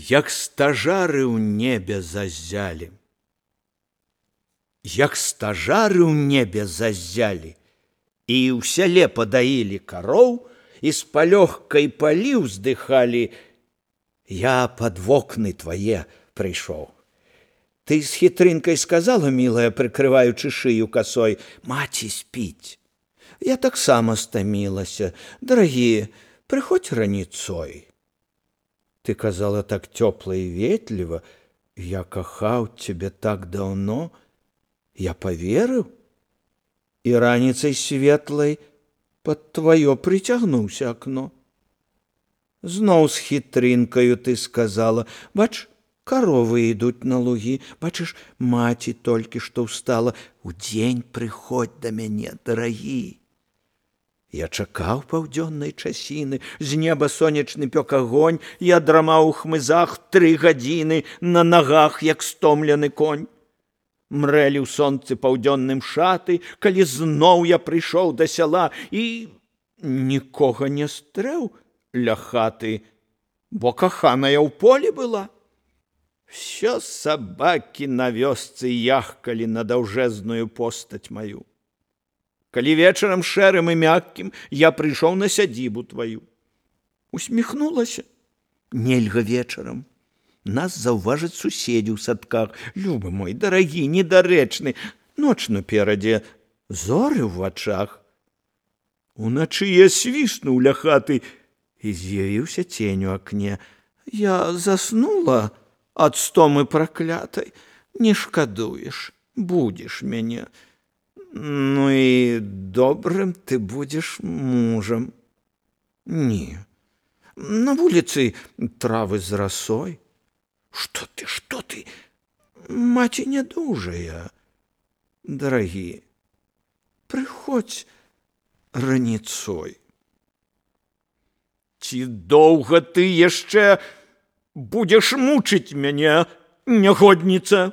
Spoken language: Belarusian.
Як стажары ў небе заззялі. Як стажары ў небе заззялі, і ў сяле падаілі кароў, і з палёгкай палі ўздыхалі, я пад вокны твае прыйшоў. Ты з хітрынкай сказала, мілая, прыкрываючы шыю касой, маці спіць. Я таксама стамілася. Дарагі, прыходзь раніцой. Ты казала так цёпла і ветліва, я кахаў цябе так даўно, я поверыў, і раніцай светлай пад тваё прыцягнуўся акно. Зноў з хітрынкаю ты сказала, бач, каровы ідуць на лугі, бачыш, маці толькі што ўстала, удзень прыходзь да мяне, дарагі. Я чакаў паўдзённай часіны, з неба сонечны пёк агонь, я драмаў у хмызах 3 гадзіны, на нагах, як стомлены конь. Мрэлі ў сонцы паўдзённым шаты, калі зноў я прыйшоў да сяла і нікога не стрэў ля хаты, бо каханая ў полі была. Всё сабакі на вёсцы яхкалі на даўжэзную постаць маю. Калі вечарам шэрым і мяккім я прыйшоў на сядзібу тваю. Усміхнулася. Нельга вечарам. Нас заўважаць суседзі ў садках. Любы мой, дарагі, недарэчны. Ноч наперадзе, зоры ў вачах. Уначы я свіснуў ля хаты і з'явіўся цень у акне. Я заснула ад стомы праклятай. Не шкадуеш, будзеш мяне. Ну і добрым ты будзеш мужам. Не, на вуліцы травы з расой. Што ты? Маці нядужая. Дарагі, прыходзь раніцой. Ці доўга ты яшчэ будзеш мучыць мяне, нягодніца?